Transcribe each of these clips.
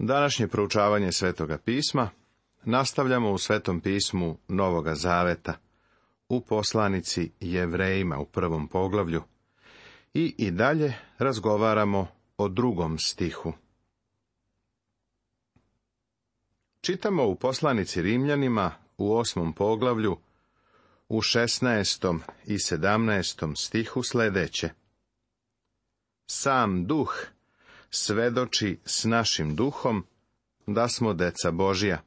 Današnje proučavanje Svetoga pisma nastavljamo u Svetom pismu Novoga Zaveta, u poslanici Jevrejima u 1. poglavlju i dalje razgovaramo o 2. stihu. Čitamo u poslanici Rimljanima u 8. poglavlju u 16. i 17. stihu sljedeće. Sam duh svedoči s našim duhom da smo deca Božja.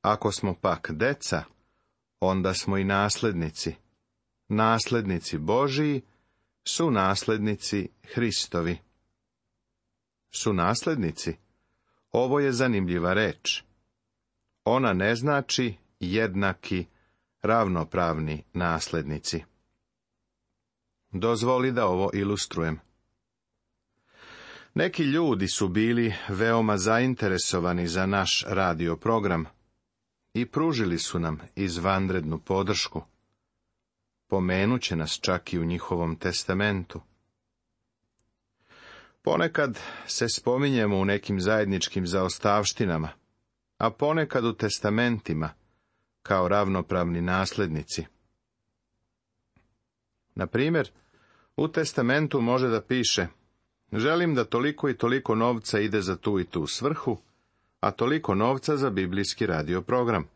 Ako smo pak deca, onda smo i naslednici. Naslednici Božiji su naslednici Hristovi. Su naslednici? Ovo je zanimljiva reč. Ona ne znači jednaki, ravnopravni naslednici. Dozvoli da ovo ilustrujem. Neki ljudi su bili veoma zainteresovani za naš radio program i pružili su nam izvanrednu podršku. Pomenuće nas čak i u njihovom testamentu. Ponekad se spominjemo u nekim zajedničkim zaostavštinama, a ponekad u testamentima kao ravnopravni naslednici. Na primjer, u testamentu može da piše: želim da toliko i toliko novca ide za tu i tu svrhu, a toliko novca za biblijski radio program.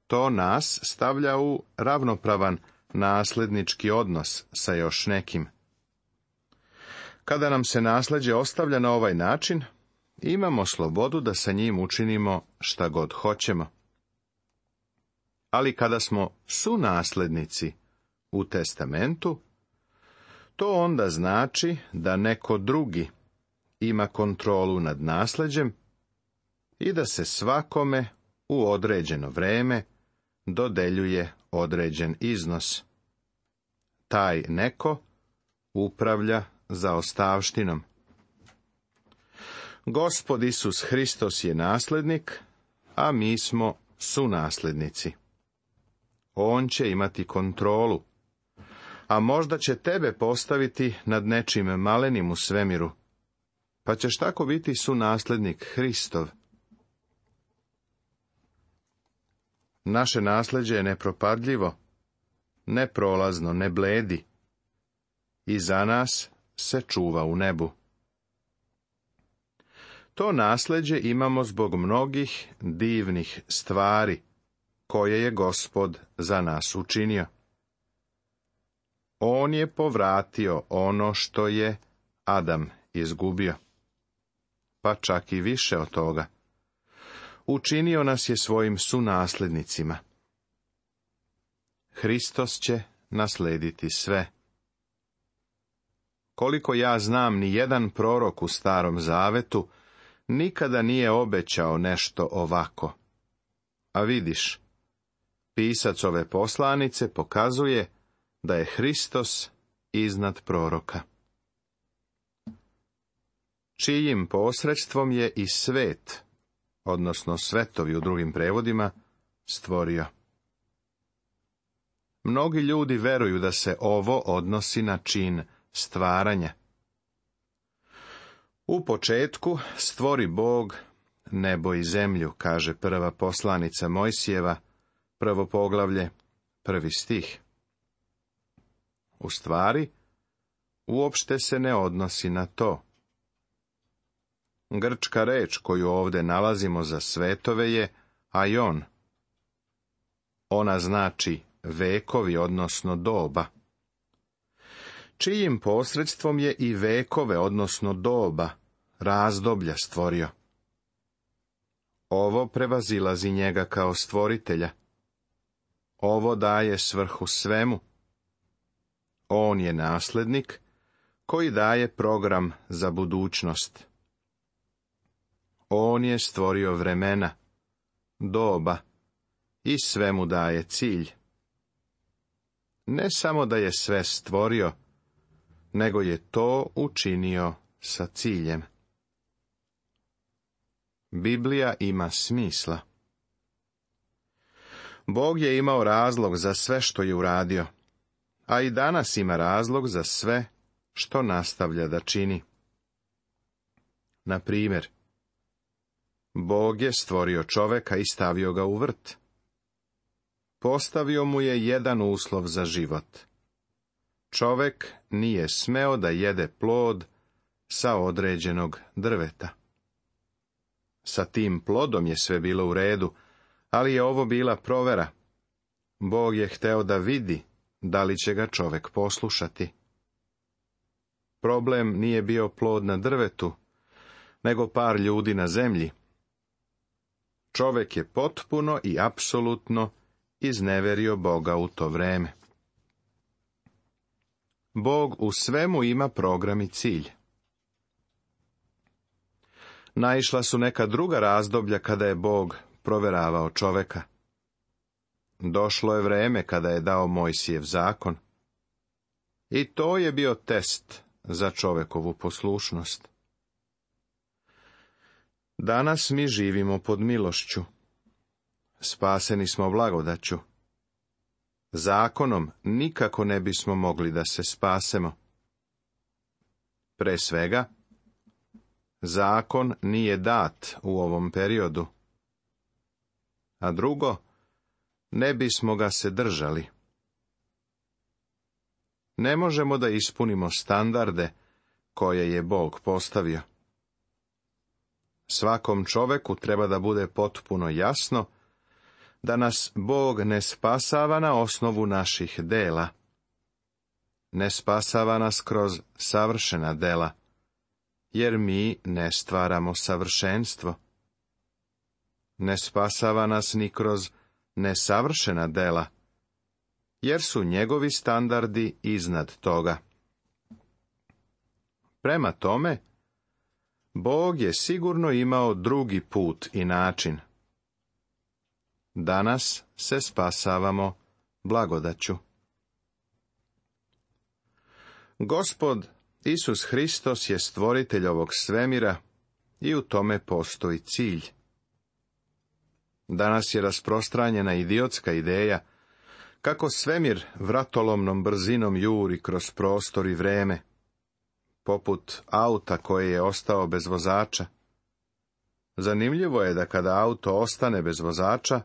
To nas stavlja u ravnopravan naslednički odnos sa još nekim. Kada nam se nasleđe ostavlja na ovaj način, imamo slobodu da sa njim učinimo šta god hoćemo. Ali kada smo sunaslednici u testamentu, to onda znači da neko drugi ima kontrolu nad nasleđem i da se svakome u određeno vreme dodeljuje određen iznos. Taj neko upravlja zaostavštinom. Gospod Isus Hristos je naslednik, a mi smo sunaslednici. On će imati kontrolu, a možda će tebe postaviti nad nečim malenim u svemiru, pa ćeš tako biti sunaslednik Hristov. Naše nasleđe je nepropadljivo, neprolazno, ne bledi, i za nas se čuva u nebu. To nasleđe imamo zbog mnogih divnih stvari koje je Gospod za nas učinio. On je povratio ono što je Adam izgubio, pa čak i više od toga. Učinio nas je svojim sunaslednicima. Hristos će naslediti sve. Koliko ja znam, ni jedan prorok u Starom Zavetu nikada nije obećao nešto ovako. A vidiš, pisac ove poslanice pokazuje da je Hristos iznad proroka. Čijim posredstvom je i svet, odnosno svetovi u drugim prevodima, stvorio. Mnogi ljudi veruju da se ovo odnosi na čin stvaranja. U početku stvori Bog nebo i zemlju, kaže prva poslanica Mojsijeva, 1. poglavlje, 1. stih. U stvari, uopšte se ne odnosi na to. Grčka reč koju ovdje nalazimo za svetove je aion. Ona znači vekovi, odnosno doba. Čijim posredstvom je i vekove, odnosno doba, razdoblja stvorio. Ovo prevazilazi njega kao stvoritelja. Ovo daje svrhu svemu. On je naslednik koji daje program za budućnost. On je stvorio vremena, doba i sve mu daje cilj. Ne samo da je sve stvorio, nego je to učinio sa ciljem. Biblija ima smisla. Bog je imao razlog za sve što je uradio, a i danas ima razlog za sve što nastavlja da čini. Na primjer, Bog je stvorio čoveka i stavio ga u vrt. Postavio mu je jedan uslov za život. Čovek nije smeo da jede plod sa određenog drveta. Sa tim plodom je sve bilo u redu, ali je ovo bila provera. Bog je hteo da vidi da li će ga čovek poslušati. Problem nije bio plod na drvetu, nego par ljudi na zemlji. Čovek je potpuno i apsolutno izneverio Boga u to vreme. Bog u svemu ima program i cilj. Naišla su neka druga razdoblja kada je Bog proveravao čoveka. Došlo je vreme kada je dao Mojsijev zakon. I to je bio test za čovekovu poslušnost. Danas mi živimo pod milošću. Spaseni smo blagodaću. Zakonom nikako ne bismo mogli da se spasemo. Pre svega, zakon nije dat u ovom periodu. A drugo, ne bismo ga se držali. Ne možemo da ispunimo standarde koje je Bog postavio. Svakom čoveku treba da bude potpuno jasno da nas Bog ne spasava na osnovu naših dela. Ne spasava nas kroz savršena dela, jer mi ne stvaramo savršenstvo. Ne spasava nas ni kroz nesavršena dela, jer su njegovi standardi iznad toga. Prema tome, Bog je sigurno imao drugi put i način. Danas se spasavamo blagodaću. Gospod Isus Hristos je stvoritelj ovog svemira i u tome postoji cilj. Danas je rasprostranjena idiotska ideja kako svemir vratolomnom brzinom juri kroz prostor i vreme, poput auta koje je ostao bez vozača. Zanimljivo je da kada auto ostane bez vozača,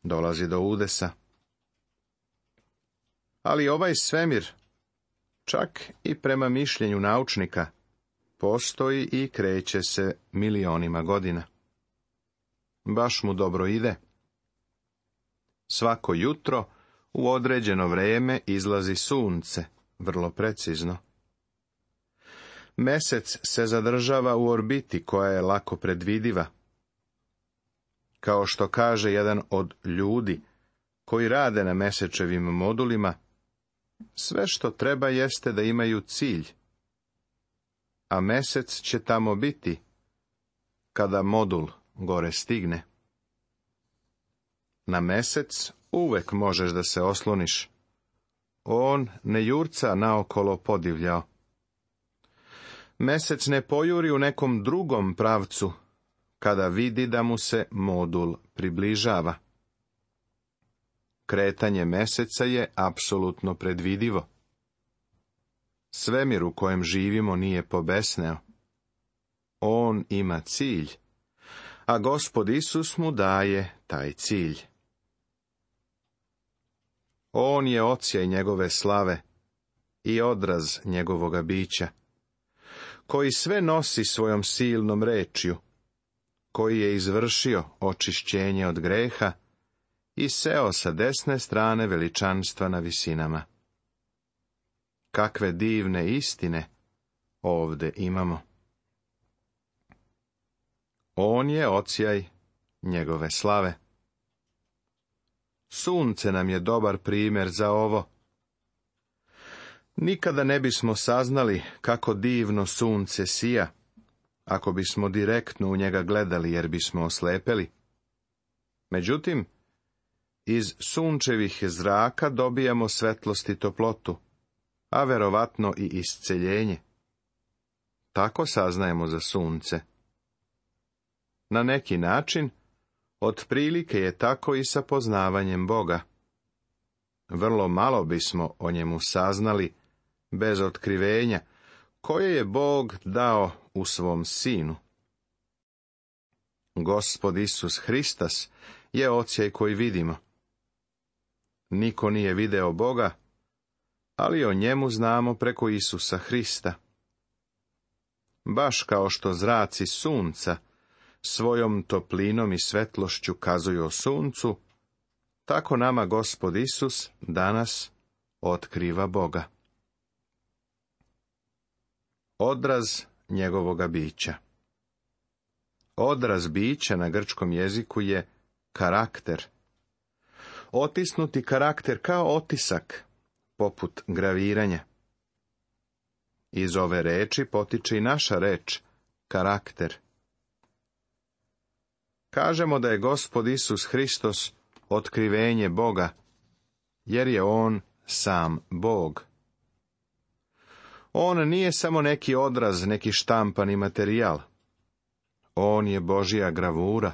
dolazi do udesa. Ali ovaj svemir, čak i prema mišljenju naučnika, postoji i kreće se milionima godina. Baš mu dobro ide. Svako jutro u određeno vreme izlazi sunce, vrlo precizno. Mesec se zadržava u orbiti koja je lako predvidiva. Kao što kaže jedan od ljudi koji rade na mesečevim modulima, sve što treba jeste da imaju cilj, a mesec će tamo biti kada modul gore stigne. Na mesec uvek možeš da se osloniš. On ne jurca naokolo podivljao. Mesec ne pojuri u nekom drugom pravcu, kada vidi da mu se modul približava. Kretanje meseca je apsolutno predvidivo. Svemir u kojem živimo nije pobesneo. On ima cilj, a Gospod Isus mu daje taj cilj. On je odsjaj njegove slave i odraz njegovoga bića, koji sve nosi svojom silnom rečju, koji je izvršio očišćenje od greha i seo sa desne strane veličanstva na visinama. Kakve divne istine ovde imamo. On je odsjaj njegove slave. Sunce nam je dobar primjer za ovo. Nikada ne bismo saznali kako divno sunce sija, ako bismo direktno u njega gledali, jer bismo oslepeli. Međutim, iz sunčevih zraka dobijamo svetlost i toplotu, a verovatno i isceljenje. Tako saznajemo za sunce. Na neki način, otprilike je tako i sa poznavanjem Boga. Vrlo malo bismo o njemu saznali bez otkrivenja, koje je Bog dao u svom Sinu. Gospod Isus Hristos je odsjaj koji vidimo. Niko nije video Boga, ali o njemu znamo preko Isusa Hrista. Baš kao što zraci sunca svojom toplinom i svetlošću kazuju o suncu, tako nama Gospod Isus danas otkriva Boga. Odraz njegovoga bića. Odraz bića na grčkom jeziku je karakter. Otisnuti karakter kao otisak, poput graviranja. Iz ove reči potiče i naša reč, karakter. Kažemo da je Gospod Isus Hristos otkrivenje Boga, jer je on sam Bog. On nije samo neki odraz, neki štampani materijal. On je Božja gravura,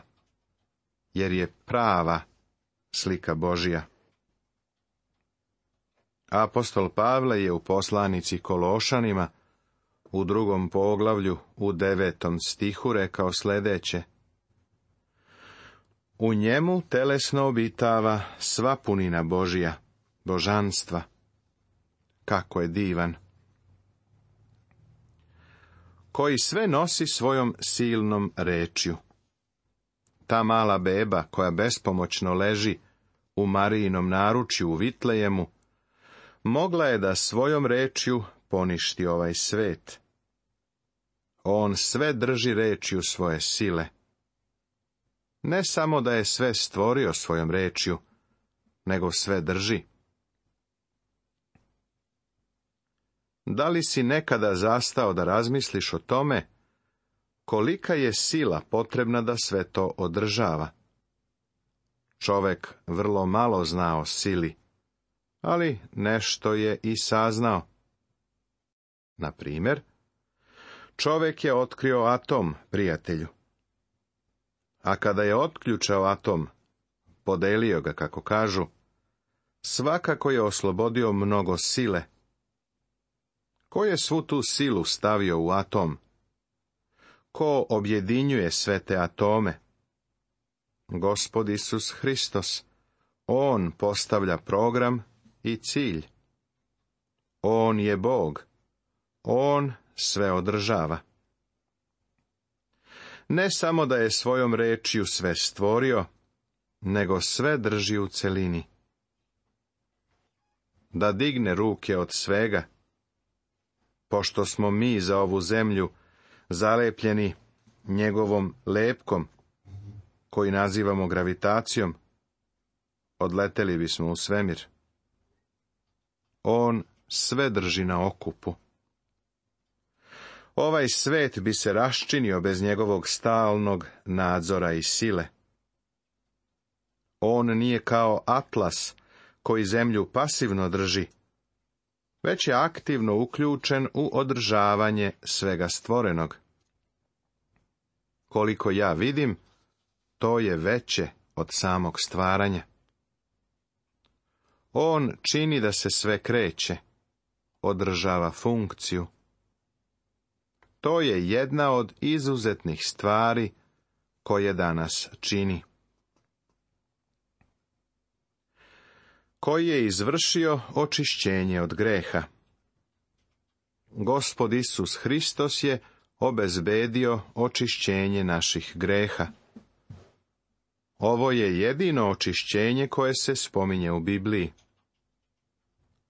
jer je prava slika Božja. Apostol Pavle je u poslanici Kološanima, u 2. poglavlju, u 9. stihu rekao sljedeće: U njemu telesno obitava sva punina Božja, božanstva. Kako je divan! Koji sve nosi svojom silnom rečju. Ta mala beba koja bespomoćno leži u Marijinom naručju u Vitlejemu, mogla je da svojom rečju poništi ovaj svet. On sve drži rečju svoje sile. Ne samo da je sve stvorio svojom rečju, nego sve drži. Da li si nekada zastao da razmisliš o tome kolika je sila potrebna da sve to održava? Čovek vrlo malo zna o sili, ali nešto je i saznao. Na primjer, čovek je otkrio atom, prijatelju. A kada je otključao atom, podelio ga, kako kažu, svakako je oslobodio mnogo sile. Ko je svu tu silu stavio u atom? Ko objedinjuje sve te atome? Gospod Isus Hristos. On postavlja program i cilj. On je Bog. On sve održava. Ne samo da je svojom rečju sve stvorio, nego sve drži u celini. Da digne ruke od svega, pošto smo mi za ovu zemlju zalepljeni njegovom lepkom, koji nazivamo gravitacijom, odleteli bismo u svemir. On sve drži na okupu. Ovaj svet bi se raščinio bez njegovog stalnog nadzora i sile. On nije kao atlas koji zemlju pasivno drži, već je aktivno uključen u održavanje svega stvorenog. Koliko ja vidim, to je veće od samog stvaranja. On čini da se sve kreće, održava funkciju. To je jedna od izuzetnih stvari koje danas čini. Koji je izvršio očišćenje od greha. Gospod Isus Hristos je obezbedio očišćenje naših greha. Ovo je jedino očišćenje koje se spominje u Bibliji.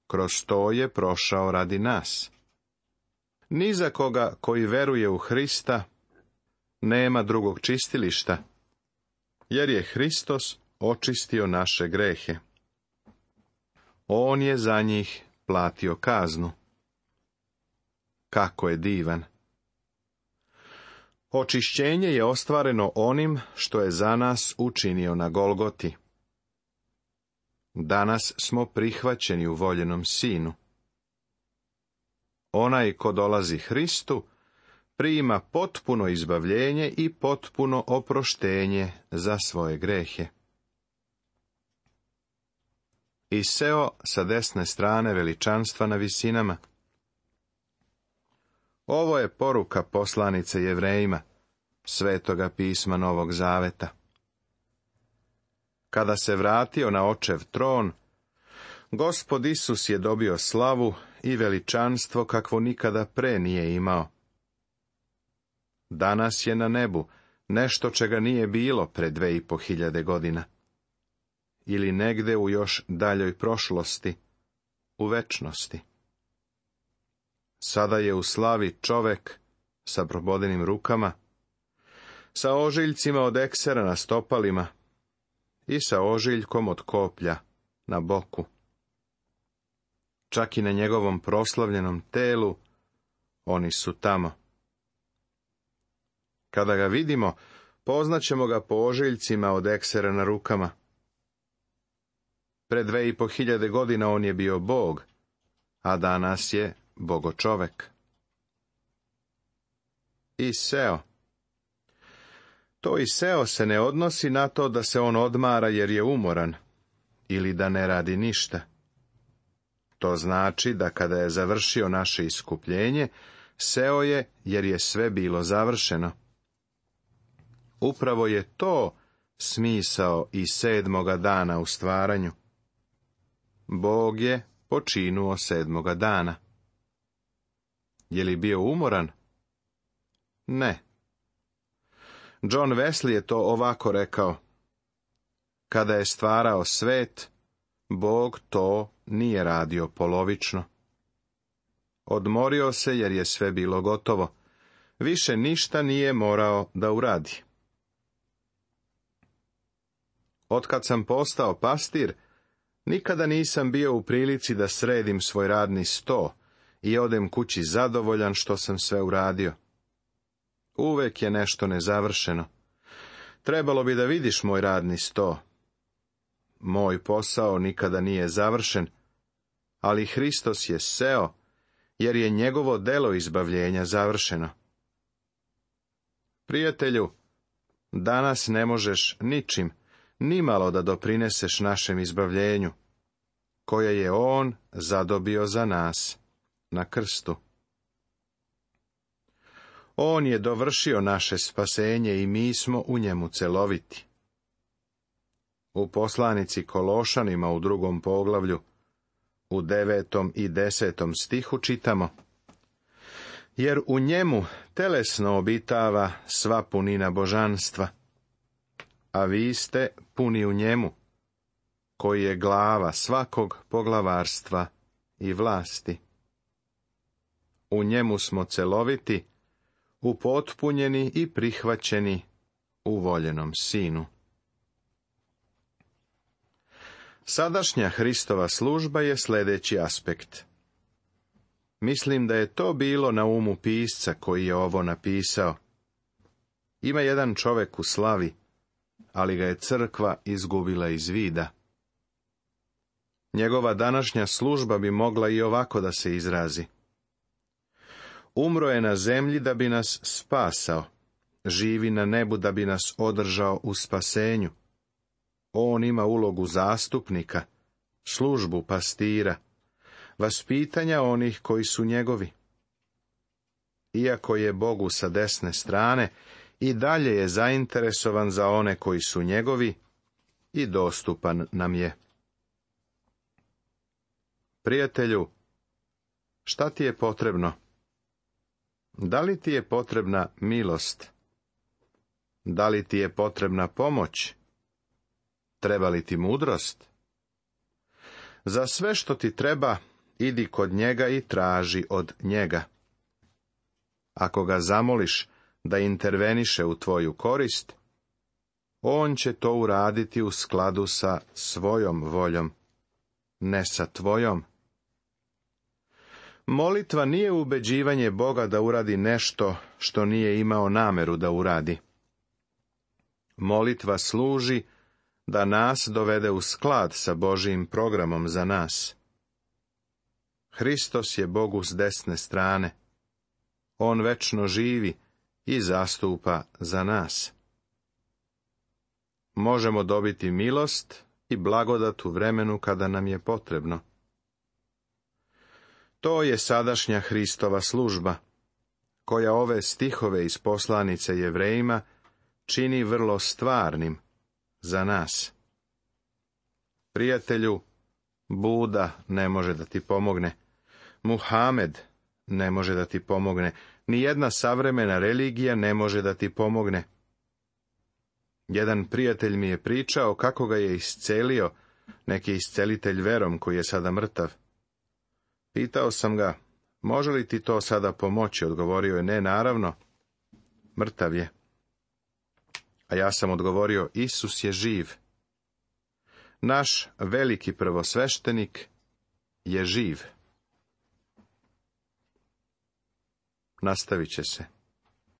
Kroz to je prošao radi nas. Ni za koga koji veruje u Hrista nema drugog čistilišta, jer je Hristos očistio naše grehe. On je za njih platio kaznu. Kako je divan! Očišćenje je ostvareno onim što je za nas učinio na Golgoti. Danas smo prihvaćeni u voljenom Sinu. Onaj ko dolazi Hristu, prima potpuno izbavljenje i potpuno oproštenje za svoje grehe. I seo sa desne strane veličanstva na visinama. Ovo je poruka poslanice Jevrejima, Svetoga pisma Novog Zaveta. Kada se vratio na očev tron, Gospod Isus je dobio slavu i veličanstvo kakvo nikada pre nije imao. Danas je na nebu nešto čega nije bilo pre 2500 godina. Ili negde u još daljoj prošlosti, u večnosti. Sada je u slavi čovek sa probodenim rukama, sa ožiljcima od eksera na stopalima i sa ožiljkom od koplja na boku. Čak i na njegovom proslavljenom telu oni su tamo. Kada ga vidimo, poznaćemo ga po ožiljcima od eksera na rukama. Pre 2500 godina on je bio Bog, a danas je bogočovek. Iseo. To iseo se ne odnosi na to da se on odmara jer je umoran, ili da ne radi ništa. To znači da kada je završio naše iskupljenje, seo je jer je sve bilo završeno. Upravo je to smisao i 7. dana u stvaranju. Bog je počinuo 7. dana. Je li bio umoran? Ne. John Wesley je to ovako rekao. Kada je stvarao svet, Bog to nije radio polovično. Odmorio se jer je sve bilo gotovo. Više ništa nije morao da uradi. Otkad sam postao pastir, nikada nisam bio u prilici da sredim svoj radni sto i odem kući zadovoljan što sam sve uradio. Uvek je nešto nezavršeno. Trebalo bi da vidiš moj radni sto. Moj posao nikada nije završen, ali Hristos je seo, jer je njegovo delo izbavljenja završeno. Prijatelju, danas ne možeš ničim, nimalo da doprineseš našem izbavljenju, koje je on zadobio za nas na krstu. On je dovršio naše spasenje i mi smo u njemu celoviti. U poslanici Kološanima u 2. poglavlju, u 9. i 10. stihu čitamo: jer u njemu telesno obitava sva punina božanstva, a vi ste puni u njemu, koji je glava svakog poglavarstva i vlasti. U njemu smo celoviti, upotpunjeni i prihvaćeni u voljenom Sinu. Sadašnja Hristova služba je sljedeći aspekt. Mislim da je to bilo na umu pisca koji je ovo napisao. Ima jedan čovek u slavi, ali ga je crkva izgubila iz vida. Njegova današnja služba bi mogla i ovako da se izrazi. Umro je na zemlji da bi nas spasao, živi na nebu da bi nas održao u spasenju. On ima ulogu zastupnika, službu pastira, vaspitanja onih koji su njegovi. Iako je Bogu sa desne strane, i dalje je zainteresovan za one koji su njegovi i dostupan nam je. Prijatelju, šta ti je potrebno? Da li ti je potrebna milost? Da li ti je potrebna pomoć? Treba li ti mudrost? Za sve što ti treba, idi kod njega i traži od njega. Ako ga zamoliš da interveniše u tvoju korist, on će to uraditi u skladu sa svojom voljom, ne sa tvojom. Molitva nije ubeđivanje Boga da uradi nešto što nije imao nameru da uradi. Molitva služi da nas dovede u sklad sa Božijim programom za nas. Hristos je Bogu s desne strane. On večno živi i zastupa za nas. Možemo dobiti milost i blagodat u vremenu kada nam je potrebno. To je sadašnja Hristova služba. koja ove stihove iz poslanice Jevrejima čini vrlo stvarnim za nas. Prijatelju, Buda ne može da ti pomogne. Muhamed ne može da ti pomogne. Nijedna savremena religija ne može da ti pomogne. Jedan prijatelj mi je pričao kako ga je iscelio neki iscelitelj verom koji je sada mrtav. Pitao sam ga, može li ti to sada pomoći? Odgovorio je, ne, naravno, mrtav je. A ja sam odgovorio, Isus je živ. Naš veliki prvosveštenik je živ. Nastavit će se.